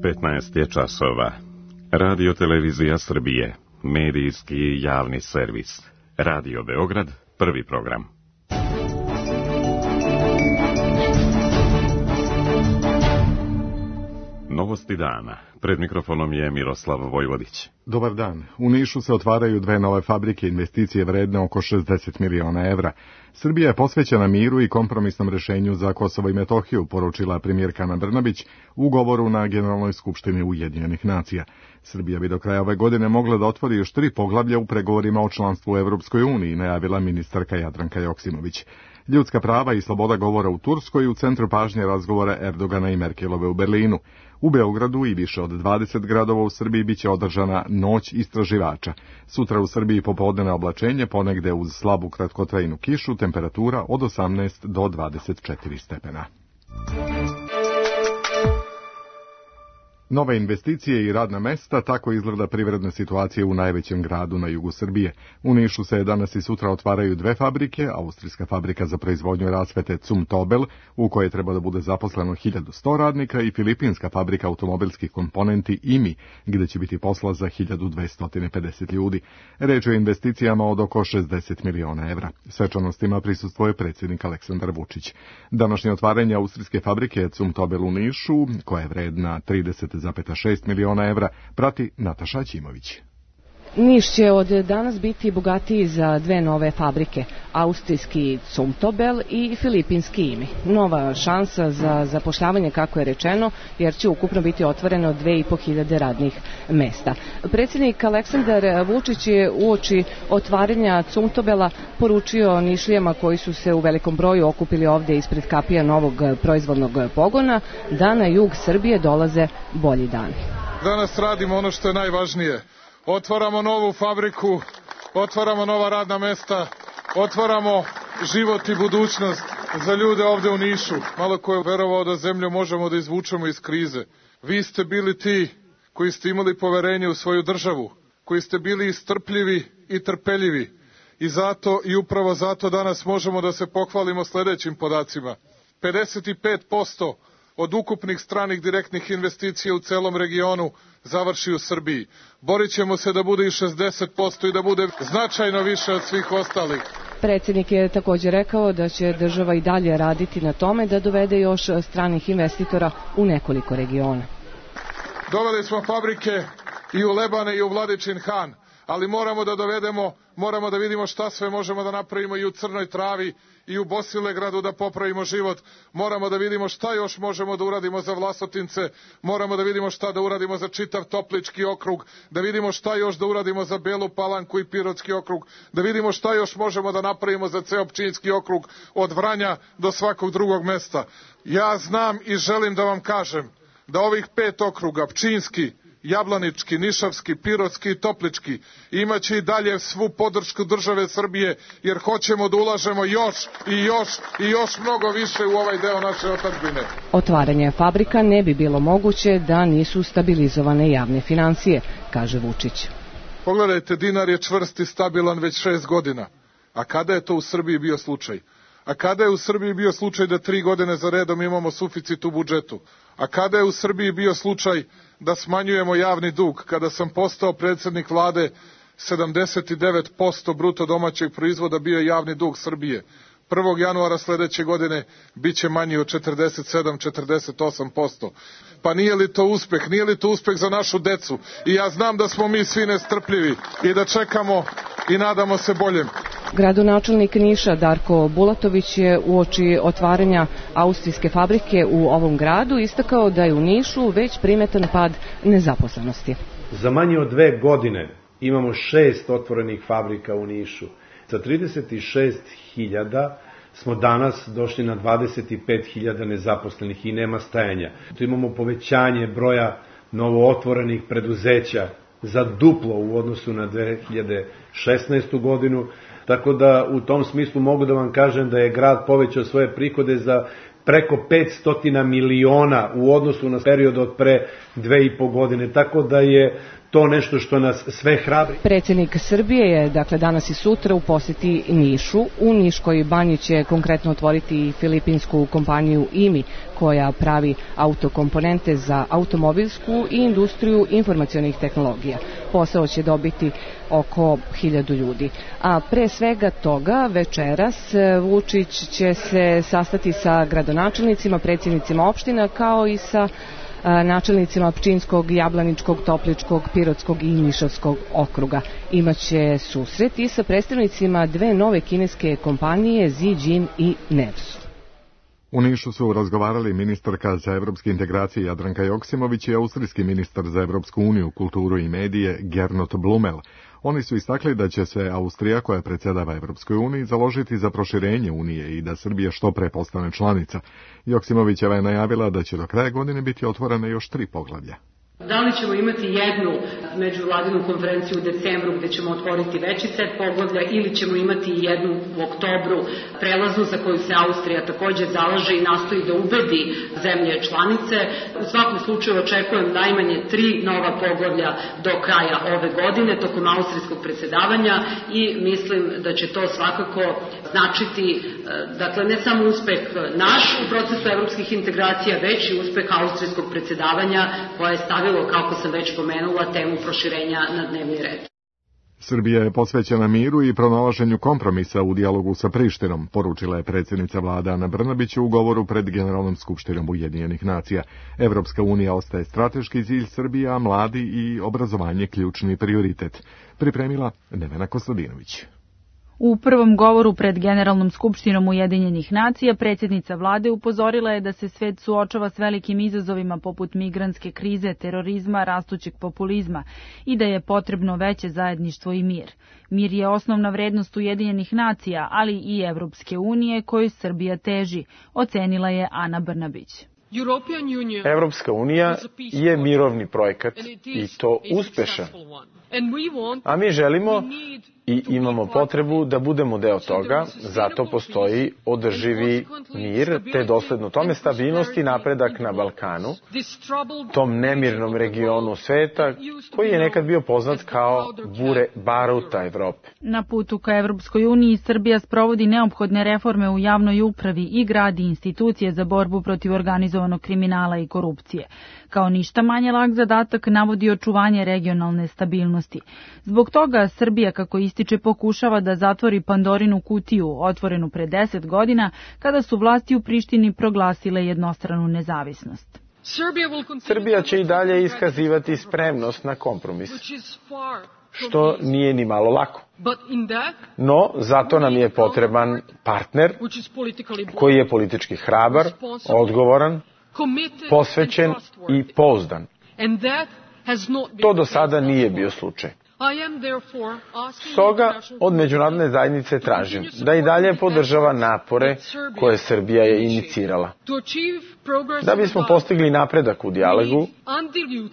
15 je časova. Radio Televizija Srbije, medijski javni servis. Radio Beograd, prvi program. Novosti dana. Pred mikrofonom je Miroslav Vojvodić. Dobar dan. U Nišu se otvaraju dve nove fabrike, investicije vredne oko 60 miliona evra. Srbija je posvećena miru i kompromisnom rešenju za Kosovo i Metohiju, poručila premijerka Ana Brnabić u govoru na Generalnoj skupštini Ujedinjenih nacija. Srbija bi do kraja ove godine mogla da otvori još 3 poglavlja u pregovorima o članstvu u Evropskoj uniji, najavila ministarka Jadranka Joksimović. Ljudska prava i sloboda govora u Turskoj u centru pažnje razgovora Erdogana i Merkelove u Berlinu. U Beogradu i više od 20 gradova u Srbiji biće održana Noć istraživača. Sutra u Srbiji popodnevno oblačenje, ponegde uz slabu kratkotrajnu kišu, temperatura od 18 do 24 stepena. Nove investicije i radna mesta, tako izgleda privredna situacija u najvećem gradu na jugu Srbije. U Nišu se danas i sutra otvaraju dve fabrike, austrijska fabrika za proizvodnju rasvete Zum Tobel, u kojoj treba da bude zaposleno 1100 radnika, i filipinska fabrika automobilskih komponenti IMI, gde će biti posla za 1250 ljudi. Reč je o investicijama od oko 60 miliona evra. Svečanostima prisustvuje predsjednik Aleksandar Vučić. Današnje otvaranje austrijske fabrike Zum Tobel u Nišu, koja je vredna 30,6 miliona evra, prati Nataša Ćimović. Niš će od danas biti bogatiji za dve nove fabrike, austrijski Zum Tobel i filipinski IMI. Nova šansa za zapošljavanje, kako je rečeno, jer će ukupno biti otvoreno 2500 radnih mesta. Predsjednik Aleksandar Vučić je uoči otvaranja Zum Tobela poručio Nišlijama koji su se u velikom broju okupili ovdje ispred kapija novog proizvodnog pogona da na jug Srbije dolaze bolji dani. Danas radimo ono što je najvažnije. Otvaramo novu fabriku, otvaramo nova radna mesta, otvaramo život i budućnost za ljude ovdje u Nišu. Malo ko je verovao da zemlju možemo da izvučemo iz krize. Vi ste bili ti koji ste imali poverenje u svoju državu, koji ste bili strpljivi i trpeljivi. I zato i upravo zato danas možemo da se pohvalimo sljedećim podacima. 55% od ukupnih stranih direktnih investicija u celom regionu završi u Srbiji. Borit ćemo se da bude i 60% i da bude značajno više od svih ostalih. Predsjednik je također rekao da će država i dalje raditi na tome da dovede još stranih investitora u nekoliko regiona. Doveli smo fabrike i u Lebane i u Vladičin Han, ali moramo da vidimo šta sve možemo da napravimo i u Crnoj Travi i u Bosilegradu da popravimo život. Moramo da vidimo šta još možemo da uradimo za Vlasotince, moramo da vidimo šta da uradimo za čitav Toplički okrug, da vidimo šta još da uradimo za Belu Palanku i Pirotski okrug, da vidimo šta još možemo da napravimo za ceo Pčinjski okrug od Vranja do svakog drugog mesta. Ja znam i želim da vam kažem da ovih 5 okruga, Pčinjski, Jablanički, Nišavski, Pirotski i Toplički, imaće i dalje svu podršku države Srbije, jer hoćemo da ulažemo još mnogo više u ovaj deo naše otadžbine. Otvaranje fabrika ne bi bilo moguće da nisu stabilizovane javne financije, kaže Vučić. Pogledajte, dinar je čvrst i stabilan već 6 godina. A kada je to u Srbiji bio slučaj? A kada je u Srbiji bio slučaj da 3 godine za redom imamo suficit u budžetu? A kada je u Srbiji bio slučaj da smanjujemo javni dug? Kada sam postao predsjednik vlade, 79% bruto domaćeg proizvoda bio je javni dug Srbije. 1. januara sljedeće godine bit će manji od 47-48%. Pa nije li to uspeh? Nije li to uspeh za našu decu? I ja znam da smo mi svi nestrpljivi i da čekamo i nadamo se boljem. Gradonačelnik Niša Darko Bulatović je uoči otvaranja austrijske fabrike u ovom gradu istakao da je u Nišu već primetan pad nezaposlenosti. Za manje od 2 godine imamo 6 otvorenih fabrika u Nišu. Sa 36.000 smo danas došli na 25.000 nezaposlenih i nema stajanja. Tu imamo povećanje broja novootvorenih preduzeća za duplo u odnosu na 2016. godinu. Tako da u tom smislu mogu da vam kažem da je grad povećao svoje prihode za preko 500 miliona u odnosu na period od pre 2,5 godine. Tako da je to nešto što nas sve hrabri. Predsjednik Srbije je, dakle, danas i sutra u posjeti Nišu. U Niškoj banji će konkretno otvoriti filipinsku kompaniju IMI, koja pravi autokomponente za automobilsku i industriju informacionih tehnologija. Posao će dobiti oko 1000 ljudi. A pre svega toga, večeras Vučić će se sastati sa gradonačelnicima, predsjednicima opština, kao i sa načelnicima Pčinjskog, Jablaničkog, Topličkog, Pirotskog i Nišavskog okruga. Imaće susret i sa predstavnicima dve nove kineske kompanije Zijin i Nevsu. U Nišu su razgovarali ministarka za evropske integracije Jadranka Joksimović i austrijski ministar za Evropsku uniju, kulturu i medije Gernot Blumel. Oni su istakli da će se Austrija, koja predsjedava Evropskoj uniji, založiti za proširenje Unije i da Srbija što pre postane članica. Joksimovićeva je najavila da će do kraja godine biti otvorene još 3 poglavlja. Da li ćemo imati jednu međuvladinu konferenciju u decembru gdje ćemo otvoriti veći set poglavlja ili ćemo imati jednu u oktobru prelaznu za koju se Austrija također zalaže i nastoji da ubedi zemlje članice. U svakom slučaju očekujem najmanje 3 nova poglavlja do kraja ove godine tokom austrijskog predsjedavanja i mislim da će to svakako značiti, dakle, ne samo uspeh naš u procesu evropskih integracija, već i uspeh austrijskog predsjedavanja koje je stavilo, kako sam već pomenula, temu proširenja na dnevni red. Srbija je posvećena miru i pronalaženju kompromisa u dijalogu sa Prištinom, poručila je predsjednica vlade Ana Brnabić u govoru pred Generalnom skupštinom Ujedinjenih nacija. Evropska unija ostaje strateški cilj Srbije, a mladi i obrazovanje ključni prioritet. Pripremila Nevena Kostadinović. U prvom govoru pred Generalnom skupštinom Ujedinjenih nacija predsjednica vlade upozorila je da se svet suočava s velikim izazovima poput migrantske krize, terorizma, rastućeg populizma i da je potrebno veće zajedništvo i mir. Mir je osnovna vrednost Ujedinjenih nacija, ali i Evropske unije kojoj Srbija teži, ocenila je Ana Brnabić. Evropska unija je mirovni projekat i to uspešan. A mi želimo i imamo potrebu da budemo deo toga, zato postoji održivi mir, te dosledno tome stabilnost i napredak na Balkanu, tom nemirnom regionu sveta koji je nekad bio poznat kao bure baruta Evrope. Na putu ka Evropskoj uniji Srbija sprovodi neophodne reforme u javnoj upravi i gradi institucije za borbu protiv organizovanog kriminala i korupcije. Kao ništa manje lak zadatak navodi očuvanje regionalne stabilnosti. Zbog toga Srbija, kako ističe, pokušava da zatvori Pandorinu kutiju, otvorenu pre 10 godina, kada su vlasti u Prištini proglasile jednostranu nezavisnost. Srbija će i dalje iskazivati spremnost na kompromis, što nije ni malo lako. No, zato nam je potreban partner koji je politički hrabar, odgovoran, posvećen i pouzdan. To do sada nije bio slučaj. Stoga od međunarodne zajednice tražim da i dalje podržava napore koje Srbija je inicirala. Da bismo postigli napredak u dijalogu,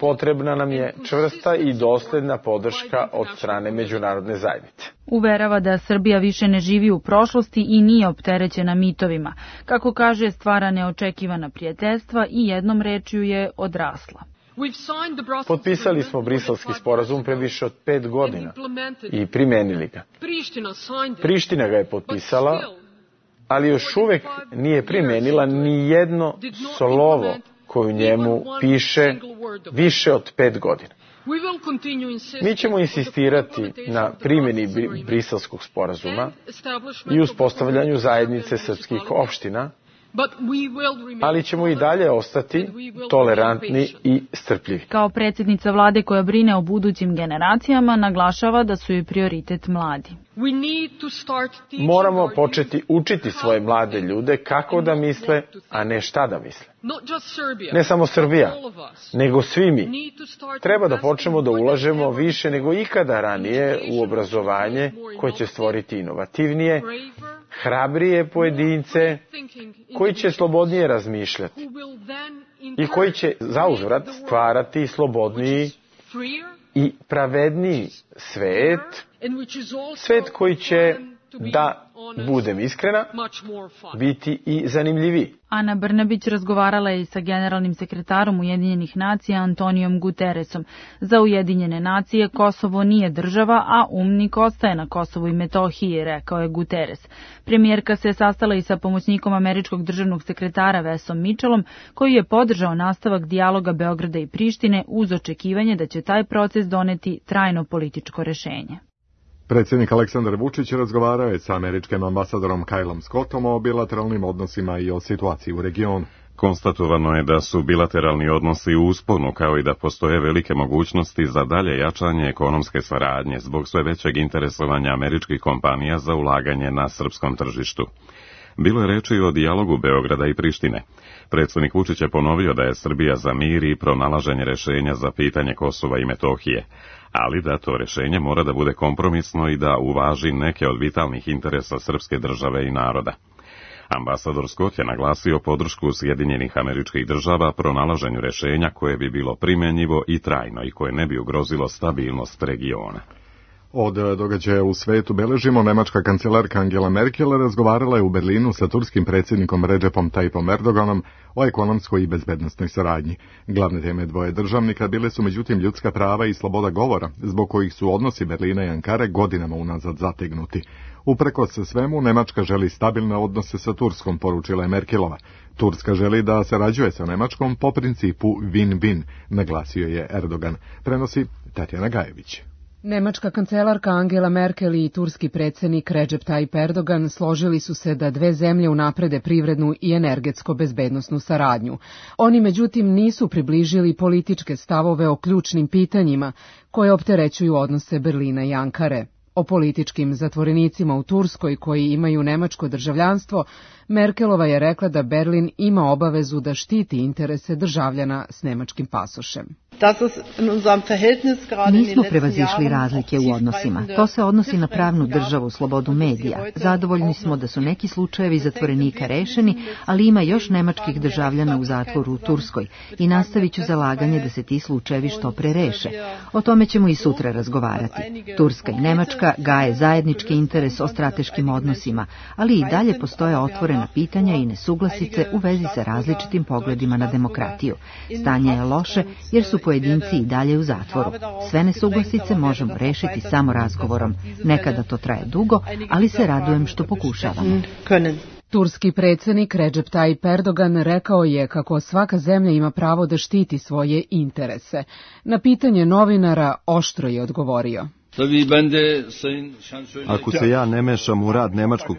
potrebna nam je čvrsta i dosledna podrška od strane međunarodne zajednice. Uverava da Srbija više ne živi u prošlosti i nije opterećena mitovima. Kako kaže, stvara neočekivana prijateljstva i jednom rečju je odrasla. Potpisali smo Briselski sporazum pre više od 5 godina i primenili ga. Priština ga je potpisala, ali još uvek nije primenila ni jedno slovo koje u njemu piše više od 5 godina. Mi ćemo insistirati na primjeni Briselskog sporazuma i uspostavljanju zajednice srpskih opština, ali ćemo i dalje ostati tolerantni i strpljivi. Kao predsjednica vlade koja brine o budućim generacijama, naglašava da su joj prioritet mladi. Moramo početi učiti svoje mlade ljude kako da misle, a ne šta da misle. Ne samo Srbija, nego svi mi. Treba da počnemo da ulažemo više nego ikada ranije u obrazovanje koje će stvoriti inovativnije, hrabrije pojedince koji će slobodnije razmišljati i koji će zauzvrat stvarati slobodniji i pravedniji svet, svet koji će da budem iskrena, biti i zanimljiviji. Ana Brnabić razgovarala je sa generalnim sekretarom Ujedinjenih nacija Antonijom Guterresom. Za Ujedinjene nacije Kosovo nije država, a UNMIK ostaje na Kosovu i Metohiji, rekao je Guterres. Premijerka se sastala i sa pomoćnikom američkog državnog sekretara Wesom Mitchellom, koji je podržao nastavak dijaloga Beograda i Prištine uz očekivanje da će taj proces doneti trajno političko rešenje. Predsjednik Aleksandar Vučić razgovarao je sa američkim ambasadorom Kylom Scottom o bilateralnim odnosima i o situaciji u regionu. Konstatovano je da su bilateralni odnosi u usponu, kao i da postoje velike mogućnosti za dalje jačanje ekonomske saradnje zbog sve većeg interesovanja američkih kompanija za ulaganje na srpskom tržištu. Bilo je reči o dijalogu Beograda i Prištine. Predsjednik Vučić je ponovio da je Srbija za mir i pronalaženje rješenja za pitanje Kosova i Metohije, ali da to rješenje mora da bude kompromisno i da uvaži neke od vitalnih interesa srpske države i naroda. Ambasador Scott je naglasio podršku Sjedinjenih Američkih Država pronalaženju rješenja koje bi bilo primjenjivo i trajno i koje ne bi ugrozilo stabilnost regiona. Od događaja u svetu beležimo, nemačka kancelarka Angela Merkel razgovarala je u Berlinu sa turskim predsjednikom Recepom Tayyipom Erdoganom o ekonomskoj i bezbednosnoj saradnji. Glavne teme dvoje državnika bile su međutim ljudska prava i sloboda govora, zbog kojih su odnosi Berlina i Ankare godinama unazad zategnuti. Uprkos svemu, Nemačka želi stabilne odnose sa Turskom, poručila je Merkelova. Turska želi da sarađuje sa Nemačkom po principu win-win, naglasio je Erdogan. Prenosi Tatjana Gajević. Nemačka kancelarka Angela Merkel i turski predsjednik Recep Tayyip Erdogan složili su se da dve zemlje unaprede privrednu i energetsko-bezbednosnu saradnju. Oni međutim nisu približili političke stavove o ključnim pitanjima koje opterećuju odnose Berlina i Ankare. O političkim zatvorenicima u Turskoj koji imaju nemačko državljanstvo, Merkelova je rekla da Berlin ima obavezu da štiti interese državljana s nemačkim pasošem. Nismo prevazišli razlike u odnosima. To se odnosi na pravnu državu, slobodu medija. Zadovoljni smo da su neki slučajevi zatvorenika rešeni, ali ima još nemačkih državljana u zatvoru u Turskoj i nastavit ću zalaganje da se ti slučajevi što pre reše. O tome ćemo i sutra razgovarati. Turska i Nemačka gaje zajednički interes o strateškim odnosima, ali i dalje postoje otvorena pitanja i nesuglasice u vezi sa različitim pogledima na demokratiju. Stanje je loše jer su pojedinci i dalje u zatvoru. Sve nesuglasice možemo rešiti samo razgovorom. Nekada to traje dugo, ali se radujem što pokušavamo. Turski predsjednik Recep Tayyip Erdogan rekao je kako svaka zemlja ima pravo da štiti svoje interese. Na pitanje novinara oštro je odgovorio. Ako se ja ne mešam u rad nemačkog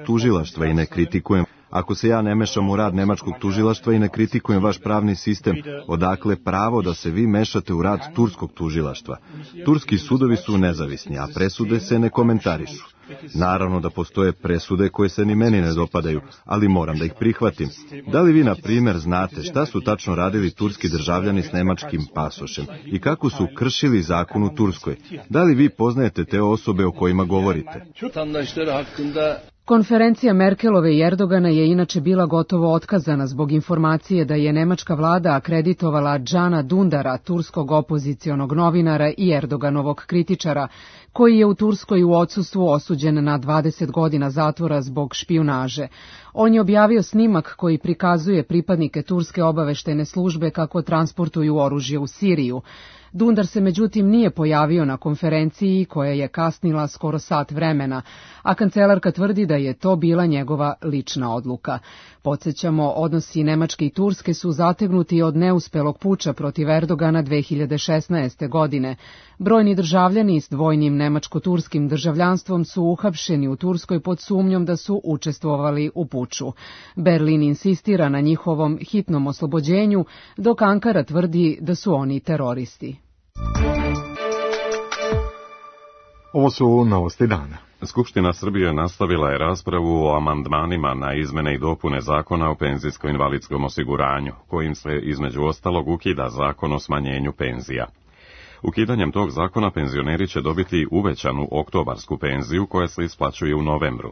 tužilaštva i ne kritikujem vaš pravni sistem, odakle pravo da se vi mešate u rad turskog tužilaštva? Turski sudovi su nezavisni, a presude se ne komentarišu. Naravno da postoje presude koje se ni meni ne dopadaju, ali moram da ih prihvatim. Da li vi, na primjer, znate šta su tačno radili turski državljani s nemačkim pasošem i kako su kršili zakon u Turskoj? Da li vi poznajete te osobe o kojima govorite? Konferencija Merkelove i Erdogana je inače bila gotovo otkazana zbog informacije da je nemačka vlada akreditovala Džana Dundara, turskog opozicionog novinara i Erdoganovog kritičara, koji je u Turskoj u odsustvu osuđen na 20 godina zatvora zbog špijunaže. On je objavio snimak koji prikazuje pripadnike turske obaveštajne službe kako transportuju oružje u Siriju. Dundar se međutim nije pojavio na konferenciji koja je kasnila skoro sat vremena, a kancelarka tvrdi da je to bila njegova lična odluka. Podsjećamo, odnosi Nemačke i Turske su zategnuti od neuspelog puča protiv Erdogana 2016. godine. Brojni državljani s dvojnim nemačko-turskim državljanstvom su uhapšeni u Turskoj pod sumnjom da su učestvovali u puču. Berlin insistira na njihovom hitnom oslobođenju, dok Ankara tvrdi da su oni teroristi. Ovo su novosti dana. Skupština Srbije nastavila je raspravu o amandmanima na izmene i dopune Zakona o penzijsko-invalidskom osiguranju, kojim se između ostalog ukida Zakon o smanjenju penzija. Ukidanjem tog zakona penzioneri će dobiti uvećanu oktobarsku penziju koja se isplaćuje u novembru.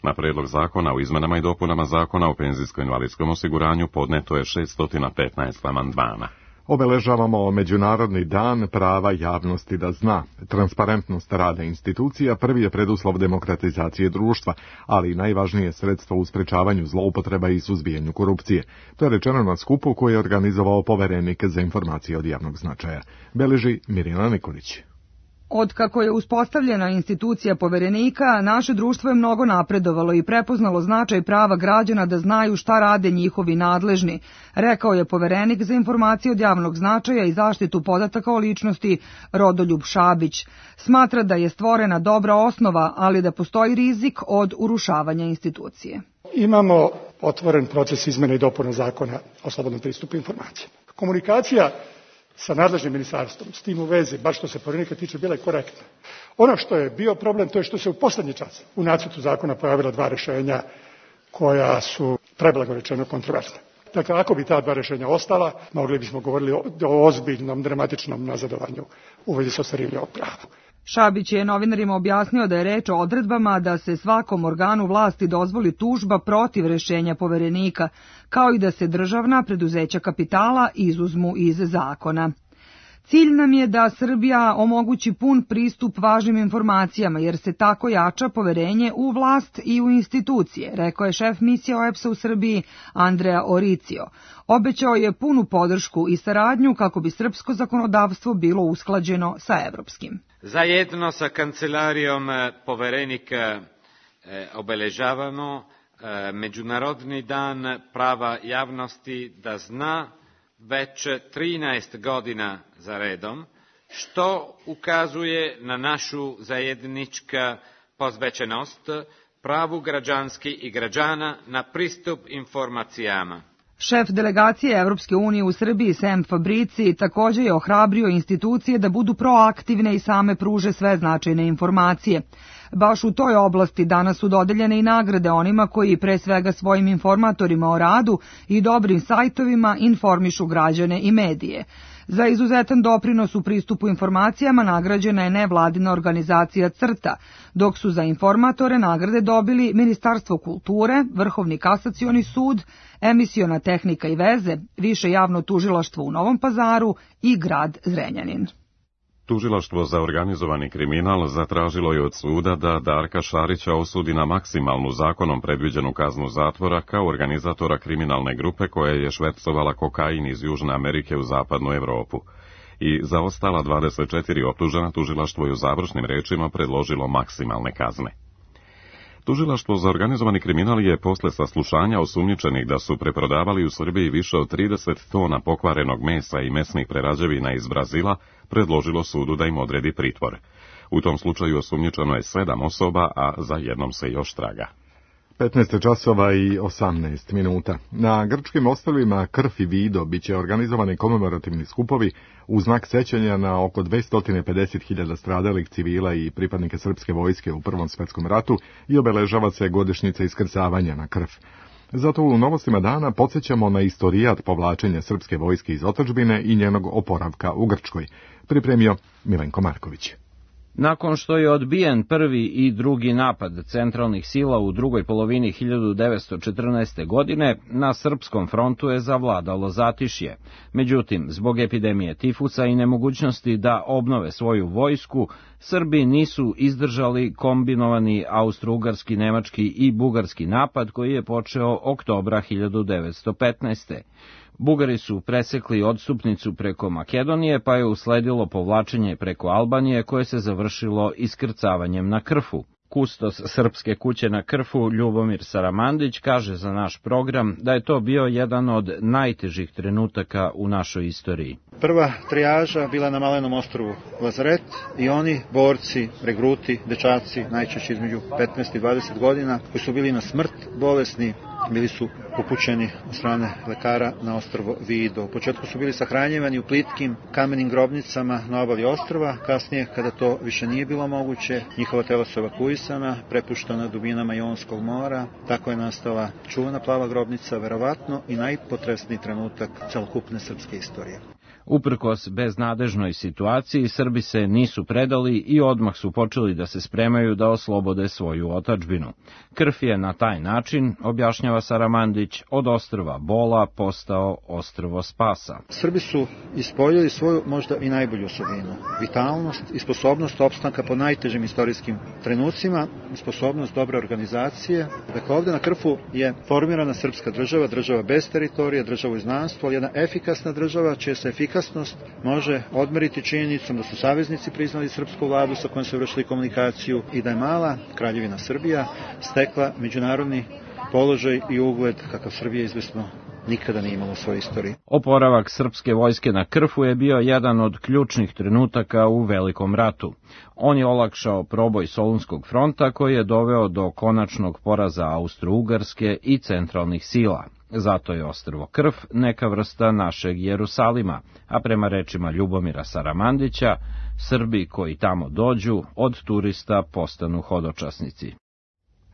Na predlog zakona o izmenama i dopunama Zakona o penzijsko-invalidskom osiguranju podneto je 615 amandmana. Obeležavamo Međunarodni dan prava javnosti da zna. Transparentnost rada institucija prvi je preduslov demokratizacije društva, ali i najvažnije sredstvo u sprečavanju zloupotreba i suzbijanju korupcije. To je rečeno na skupu koji je organizovao poverenik za informacije od javnog značaja. Beleži Mirjana Nikolić. Od kako je uspostavljena institucija poverenika, naše društvo je mnogo napredovalo i prepoznalo značaj prava građana da znaju šta rade njihovi nadležni, rekao je poverenik za informacije od javnog značaja i zaštitu podataka o ličnosti Rodoljub Šabić. Smatra da je stvorena dobra osnova, ali da postoji rizik od urušavanja institucije. Imamo otvoren proces izmene i dopune zakona o slobodnom pristupu informacijama. Komunikacija sa nadležnim ministarstvom, s tim u vezi, baš što se poverenika tiče, bila je korektna. Ono što je bio problem, to je što se u poslednji čas u nacrtu zakona pojavila dva rešenja koja su, preblago rečeno, kontroverzna. Dakle, ako bi ta dva rešenja ostala, mogli bismo govoriti o ozbiljnom, dramatičnom nazadovanju u vezi sa ostvarivanjem ovog prava. Šabić je novinarima objasnio da je reč o odredbama da se svakom organu vlasti dozvoli tužba protiv rešenja poverenika, kao i da se državna preduzeća kapitala izuzmu iz zakona. Cilj nam je da Srbija omogući pun pristup važnim informacijama, jer se tako jača poverenje u vlast i u institucije, rekao je šef misije OEBS-a u Srbiji Andrea Oricio. Obećao je punu podršku i saradnju kako bi srpsko zakonodavstvo bilo usklađeno sa evropskim. Zajedno sa kancelarijom poverenika obeležavamo Međunarodni dan prava javnosti da zna već 13 godina za redom, što ukazuje na našu zajednička posvećenost pravu građanski i građana na pristup informacijama. Šef delegacije Evropske unije u Srbiji Sam Fabrici također je ohrabrio institucije da budu proaktivne i same pruže sve značajne informacije. Baš u toj oblasti danas su dodeljene i nagrade onima koji pre svega svojim informatorima o radu i dobrim sajtovima informišu građane i medije. Za izuzetan doprinos u pristupu informacijama nagrađena je nevladina organizacija CRTA, dok su za informatore nagrade dobili Ministarstvo kulture, Vrhovni kasacioni sud, Emisiona tehnika i veze, Više javno tužilaštvo u Novom Pazaru i grad Zrenjanin. Tužilaštvo za organizovani kriminal zatražilo je od suda da Darka Šarića osudi na maksimalnu zakonom predviđenu kaznu zatvora kao organizatora kriminalne grupe koja je švercovala kokain iz Južne Amerike u zapadnu Evropu. I za ostala 24 optužena tužilaštvo je u završnim rečima predložilo maksimalne kazne. Tužilaštvo za organizovani kriminal je posle saslušanja osumnjičenih da su preprodavali u Srbiji više od 30 tona pokvarenog mesa i mesnih prerađevina iz Brazila predložilo sudu da im odredi pritvor. U tom slučaju osumnjičeno je 7 osoba, a za jednom se još traga. 15 časova i 18 minuta. Na grčkim ostrvima Krf i Vido biće organizovani komemorativni skupovi u znak sećanja na oko 250.000 stradalih civila i pripadnike srpske vojske u Prvom svetskom ratu i obeležava se godišnjica iskrcavanja na Krf. Zato u novostima dana podsjećamo na istorijat povlačenja srpske vojske iz otadžbine i njenog oporavka u Grčkoj. Pripremio Milenko Marković. Nakon što je odbijen prvi i drugi napad centralnih sila u drugoj polovini 1914. godine, na srpskom frontu je zavladalo zatišje. Međutim, zbog epidemije tifusa i nemogućnosti da obnove svoju vojsku, Srbi nisu izdržali kombinovani austro-ugarski, nemački i bugarski napad koji je počeo oktobra 1915. Bugari su presekli odstupnicu preko Makedonije, pa je usledilo povlačenje preko Albanije koje se završilo iskrcavanjem na Krfu. Kustos Srpske kuće na Krfu, Ljubomir Saramandić, kaže za naš program da je to bio jedan od najtežih trenutaka u našoj istoriji. Prva trijaža bila na malenom ostrvu Lazaret i oni, borci, regruti, dečaci, najčešće između 15 i 20 godina, koji su bili na smrt bolesni, bili su upućeni od strane lekara na ostrvo Vido. U početku su bili sahranjivani u plitkim kamenim grobnicama na obali ostrva, kasnije, kada to više nije bilo moguće, njihova tela su evakuisana, prepuštena dubinama Jonskog mora. Tako je nastala čuvena plava grobnica, verovatno i najpotresniji trenutak celokupne srpske istorije. Uprkos beznadežnoj situaciji, Srbi se nisu predali i odmah su počeli da se spremaju da oslobode svoju otadžbinu. Krf je na taj način, objašnjava Saramandić, od ostrva bola postao ostrvo spasa. Srbi su ispoljili svoju možda i najbolju osobinu, vitalnost i sposobnost opstanka po najtežim istorijskim trenucima, sposobnost dobre organizacije. Dakle, ovde na Krfu je formirana srpska država, država bez teritorija, država u izgnanstvu, ali jedna efikasna država čija se efikasnost može odmeriti činjenicom da su saveznici priznali srpsku vladu sa kojom su vršili komunikaciju i da je mala Kraljevina Srbija stekla međunarodni položaj i ugled kakav Srbija izvesno nikada nije imala u svojoj istoriji. Oporavak srpske vojske na Krfu je bio jedan od ključnih trenutaka u Velikom ratu. On je olakšao proboj Solunskog fronta koji je doveo do konačnog poraza Austro-Ugarske i centralnih sila. Zato je ostrvo Krf neka vrsta našeg Jerusalima, a prema rečima Ljubomira Saramandića, Srbi koji tamo dođu od turista postanu hodočasnici.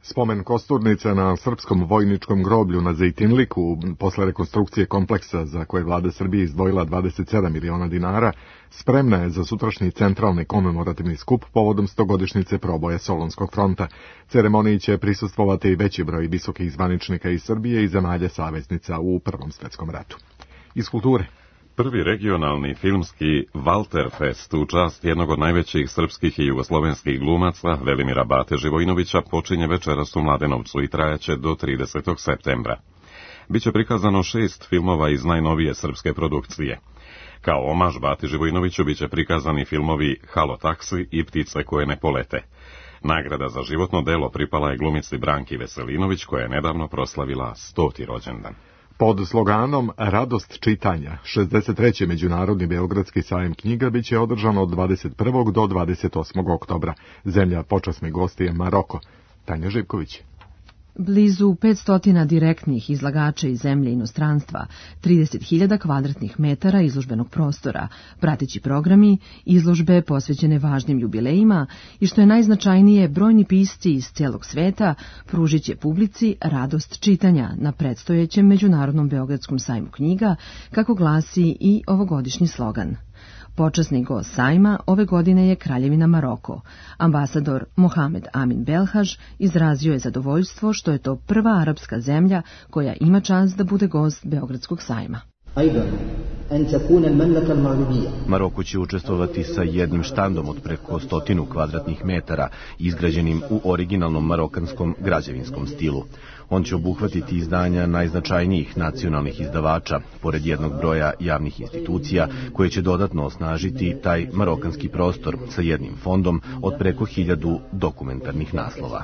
Spomen kosturnice na srpskom vojničkom groblju na Zejtinliku posle rekonstrukcije kompleksa za koje vlada Srbije izdvojila 27 miliona dinara spremna je za sutrašnji centralni komemorativni skup povodom 100-godišnjice proboja Solunskog fronta. Ceremoniji će prisustvovati veći broj visokih zvaničnika iz Srbije i zemalja saveznica u Prvom svetskom ratu. Iz kulture. Prvi regionalni filmski Walterfest u čast jednog od najvećih srpskih i jugoslovenskih glumaca, Velimira Bate Živojinovića, počinje večeras u Mladenovcu i trajaće do 30. septembra. Biće prikazano 6 filmova iz najnovije srpske produkcije. Kao omaž Bati Živojinoviću biće prikazani filmovi Halo taksi i Ptice koje ne polete. Nagrada za životno delo pripala je glumici Branki Veselinović, koja je nedavno proslavila 100. rođendan. Pod sloganom Radost čitanja, 63. Međunarodni Beogradski sajam knjiga biće održan od 21. do 28. oktobra. Zemlja počasni gosti je Maroko. Tanja Živković. Blizu 500 direktnih izlagača iz zemlje i inostranstva, 30.000 kvadratnih metara izložbenog prostora, prateći programi, izložbe posvećene važnim jubilejima i što je najznačajnije, brojni pisci iz celog sveta pružit će publici radost čitanja na predstojećem Međunarodnom Beogradskom sajmu knjiga, kako glasi i ovogodišnji slogan. Počasni gost sajma ove godine je Kraljevina Maroko. Ambasador Mohamed Amin Belhaž izrazio je zadovoljstvo što je to prva arapska zemlja koja ima čast da bude gost Beogradskog sajma. Maroko će učestvovati sa jednim štandom od preko 100 kvadratnih metara, izgrađenim u originalnom marokanskom građevinskom stilu. On će obuhvatiti izdanja najznačajnijih nacionalnih izdavača, pored jednog broja javnih institucija, koje će dodatno osnažiti taj marokanski prostor sa jednim fondom od preko 1000 dokumentarnih naslova.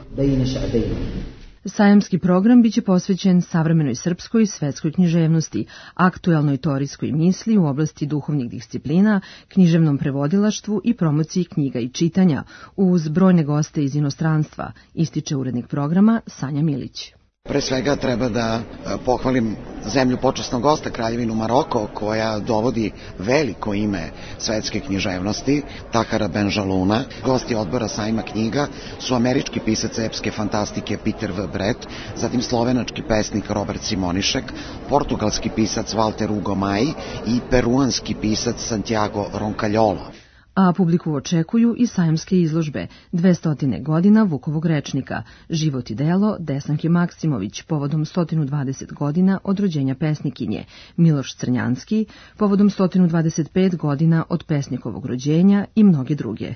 Sajamski program biće posvećen savremenoj srpskoj i svetskoj književnosti, aktuelnoj teorijskoj misli u oblasti duhovnih disciplina, književnom prevodilaštvu i promociji knjiga i čitanja, uz brojne goste iz inostranstva, ističe urednik programa Sanja Milić. Pre svega treba da pohvalim zemlju počasnog gosta, Kraljevinu Maroko, koja dovodi veliko ime svetske književnosti, Tahara Benjaluna. Gosti odbora sajma knjiga su američki pisac epske fantastike Peter V. Brett, zatim slovenački pesnik Robert Simonišek, portugalski pisac Walter Hugo Mai i peruanski pisac Santiago Roncalholo. A publiku očekuju i sajamske izložbe 200 godina Vukovog rečnika, život i delo Desanke Maksimović povodom 120 godina od rođenja pesnikinje, Miloš Crnjanski povodom 125 godina od pesnikovog rođenja i mnoge druge.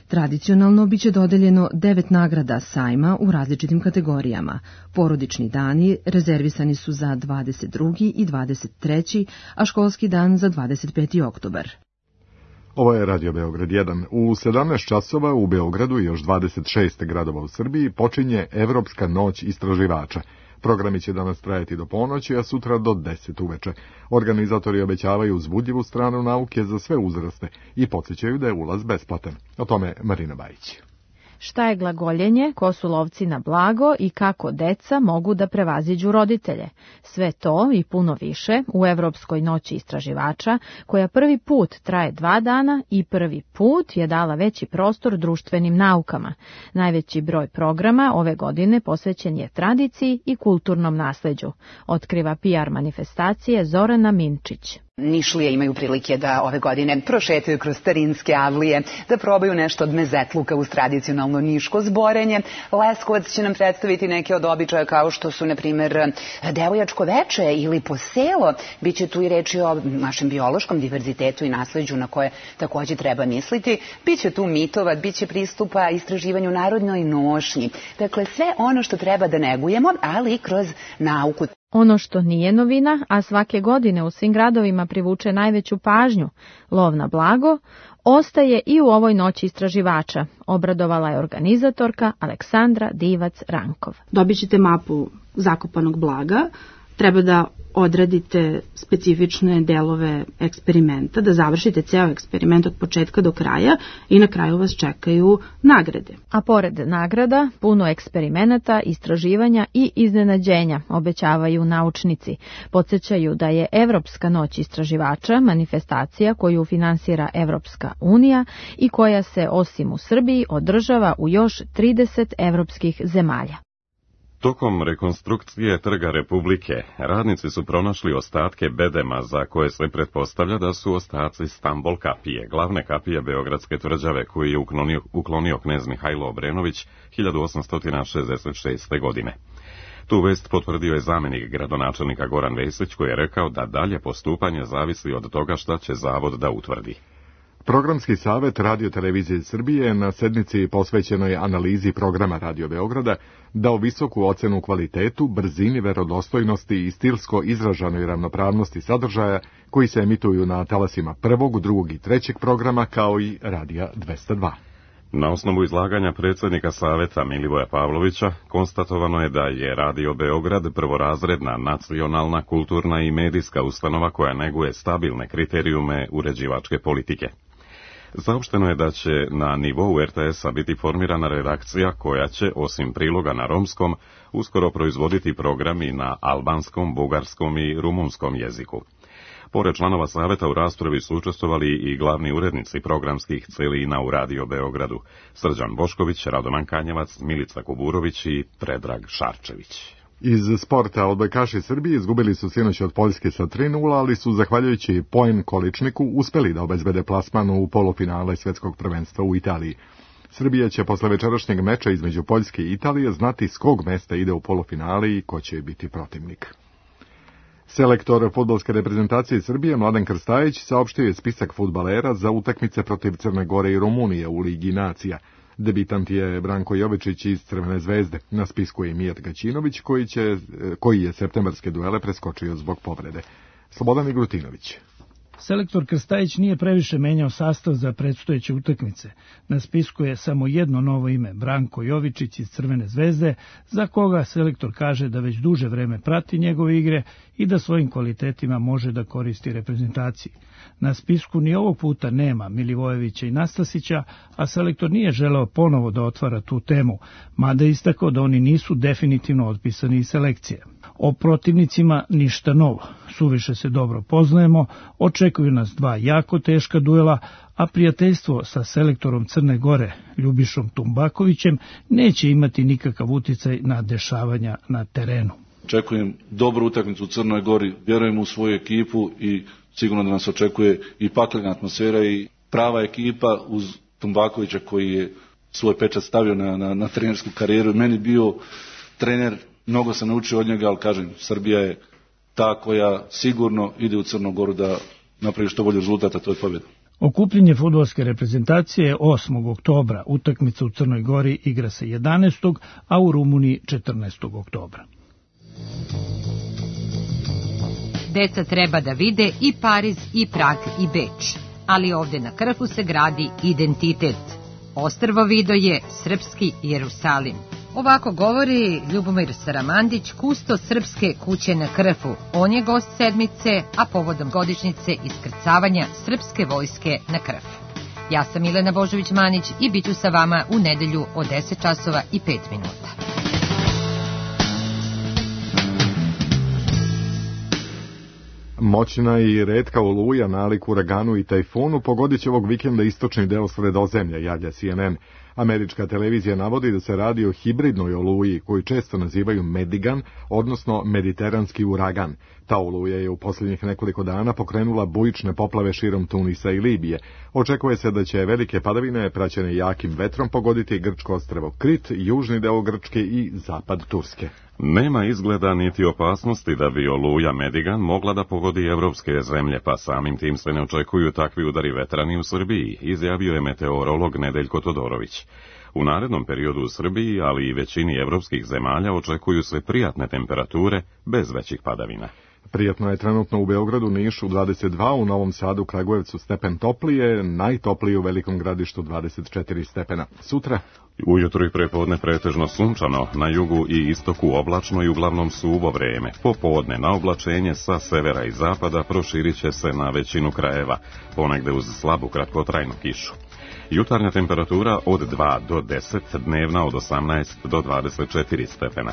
Tradicionalno biće dodeljeno 9 nagrada sajma u različitim kategorijama. Porodični dani rezervisani su za 22. i 23. a školski dan za 25. oktobar. Ovo je Radio Beograd 1. U 17 časova u Beogradu i još 26 gradova u Srbiji počinje Evropska noć istraživača. Programi će danas trajati do ponoći, a sutra do 10 uveče. Organizatori obećavaju uzbudljivu stranu nauke za sve uzraste i podsjećaju da je ulaz besplatan. O tome Marina Bajić. Šta je glagoljenje, ko su lovci na blago i kako deca mogu da prevaziđu roditelje. Sve to i puno više u Evropskoj noći istraživača, koja prvi put traje 2 dana i prvi put je dala veći prostor društvenim naukama. Najveći broj programa ove godine posvećen je tradiciji i kulturnom nasleđu, otkriva PR manifestacije Zorana Minčić. Nišlije imaju prilike da ove godine prošetaju kroz starinske avlije, da probaju nešto od mezetluka uz tradicionalno niško zborenje. Leskovac će nam predstaviti neke od običaja kao što su, na primjer, devojačko veče ili poselo. Biće tu i reči o našem biološkom diverzitetu i nasleđu na koje takođe treba misliti. Biće tu mitova, biće pristupa istraživanju narodnoj nošnji. Dakle, sve ono što treba da negujemo, ali i kroz nauku. Ono što nije novina, a svake godine u svim gradovima privuče najveću pažnju, lov na blago, ostaje i u ovoj noći istraživača, obradovala je organizatorka Aleksandra Divac-Rankov. Dobit ćete mapu zakopanog blaga, treba da odradite specifične delove eksperimenta, da završite ceo eksperiment od početka do kraja i na kraju vas čekaju nagrade. A pored nagrada, puno eksperimenata, istraživanja i iznenađenja, obećavaju naučnici. Podsjećaju da je Evropska noć istraživača manifestacija koju finansira Evropska unija i koja se osim u Srbiji održava u još 30 evropskih zemalja. Tokom rekonstrukcije Trga Republike, radnici su pronašli ostatke bedema za koje se pretpostavlja da su ostaci Stambol kapije, glavne kapije Beogradske tvrđave koju je uklonio knez Mihajlo Obrenović 1866. godine. Tu vest potvrdio je zamjenik gradonačelnika Goran Vesić koji je rekao da dalje postupanje zavisi od toga šta će zavod da utvrdi. Programski savet Radio-televizije Srbije na sednici posvećenoj analizi programa Radio Beograda dao visoku ocenu kvalitetu, brzini, verodostojnosti i stilsko izražanoj ravnopravnosti sadržaja koji se emituju na talasima prvog, drugog i trećeg programa kao i Radija 202. Na osnovu izlaganja predsjednika saveta Milivoja Pavlovića konstatovano je da je Radio Beograd prvorazredna, nacionalna, kulturna i medijska ustanova koja neguje stabilne kriterijume uređivačke politike. Saopšteno je da će na nivou RTS-a biti formirana redakcija koja će, osim priloga na romskom, uskoro proizvoditi programi na albanskom, bugarskom i rumunskom jeziku. Pored članova saveta u raspravi su učestvovali i glavni urednici programskih celina u Radio Beogradu, Srđan Bošković, Radoman Kanjevac, Milica Kuburović i Predrag Šarčević. Iz sporta odbojkaši Srbije izgubili su sinoć od Poljske sa 3:0, ali su, zahvaljujući Poen Količniku, uspeli da obezbede plasman u polufinale svetskog prvenstva u Italiji. Srbija će posle večerašnjeg meča između Poljske i Italije znati s kog mesta ide u polufinale i ko će biti protivnik. Selektor fudbalske reprezentacije Srbije Mladen Krstajić saopštio je spisak fudbalera za utakmice protiv Crne Gore i Rumunije u Ligi nacija. Debitant je Branko Jovičić iz Crvene zvezde. Na spisku je Mijat Gaćinović koji je septembarske duele preskočio zbog povrede. Slobodan Igrutinović. Selektor Krstajić nije previše menjao sastav za predstojeće utakmice. Na spisku je samo jedno novo ime, Branko Jovičić iz Crvene zvezde, za koga selektor kaže da već duže vreme prati njegove igre i da svojim kvalitetima može da koristi reprezentaciji. Na spisku ni ovog puta nema Milivojevića i Nastasića, a selektor nije želeo ponovo da otvara tu temu, mada je istakao da oni nisu definitivno otpisani iz selekcije. O protivnicima ništa novo, suviše se dobro poznajemo, očekuju nas dva jako teška duela, a prijateljstvo sa selektorom Crne Gore, Ljubišom Tumbakovićem, neće imati nikakav uticaj na dešavanja na terenu. Očekujem dobru utakmicu u Crnoj Gori, vjerujem u svoju ekipu i sigurno da nas očekuje i paklena atmosfera i prava ekipa uz Tumbakovića koji je svoj pečat stavio na trenersku karijeru. Meni bio trener, mnogo sam naučio od njega, ali kažem, Srbija je ta koja sigurno ide u Crnu Goru da napravi što bolji rezultat, a to je pobjeda. Okupljenje fudbalske reprezentacije je 8. oktobra, utakmica u Crnoj Gori igra se 11. a u Rumuniji 14. oktobra. Deca treba da vide i Pariz, i Prag, i Beč, ali ovde na Krfu se gradi identitet. Ostrvo Vido je srpski Jerusalim. Ovako govori Ljubomir Saramandić, kusto srpske kuće na Krfu. On je gost sedmice, a povodom godišnjice iskrcavanja srpske vojske na Krf. Ja sam Milena Božović-Manić i bit ću sa vama u nedelju od 10 časova i 5 minuta. Moćna i retka oluja nalik uraganu i tajfunu pogodit će ovog vikenda istočni deo Sredozemlja, javlja CNN. Američka televizija navodi da se radi o hibridnoj oluji koju često nazivaju Medigan, odnosno mediteranski uragan. Ta oluja je u posljednjih nekoliko dana pokrenula bujične poplave širom Tunisa i Libije. Očekuje se da će velike padavine praćene jakim vetrom pogoditi grčko ostrvo Krit, južni deo Grčke i zapad Turske. Nema izgleda niti opasnosti da bi oluja Medigan mogla da pogodi evropske zemlje, pa samim tim se ne očekuju takvi udari vetra ni u Srbiji, izjavio je meteorolog Nedeljko Todorović. U narednom periodu u Srbiji, ali i većini evropskih zemalja, očekuju se prijatne temperature bez većih padavina. Prijatno je trenutno u Beogradu, Nišu 22, u Novom Sadu, Kragujevcu stepen toplije, najtoplije u Velikom Gradištu 24 stepena. Sutra? Ujutro i prepodne pretežno sunčano, na jugu i istoku oblačno i uglavnom suvo vreme. Popodne na oblačenje sa severa i zapada proširit će se na većinu krajeva, ponegde uz slabu kratkotrajnu kišu. Jutarnja temperatura od 2 do 10, dnevna od 18 do 24 stepena.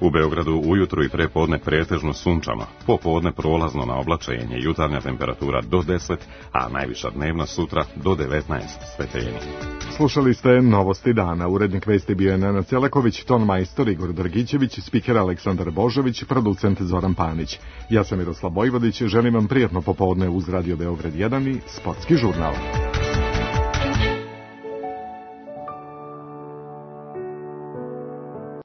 U Beogradu ujutru i prepodne pretežno sunčano, popodne prolazno na oblačenje, jutarnja temperatura do 10, a najviša dnevna sutra do 19 stepeni. Slušali ste Novosti dana. Urednik vesti bio je Nenad Celaković, ton majstor Igor Drgićević, spiker Aleksandar Božović, producent Zoran Panić. Ja sam Miroslav Bojvodić, želim vam prijatno popodne uz Radio Beograd 1 i Sportski žurnal.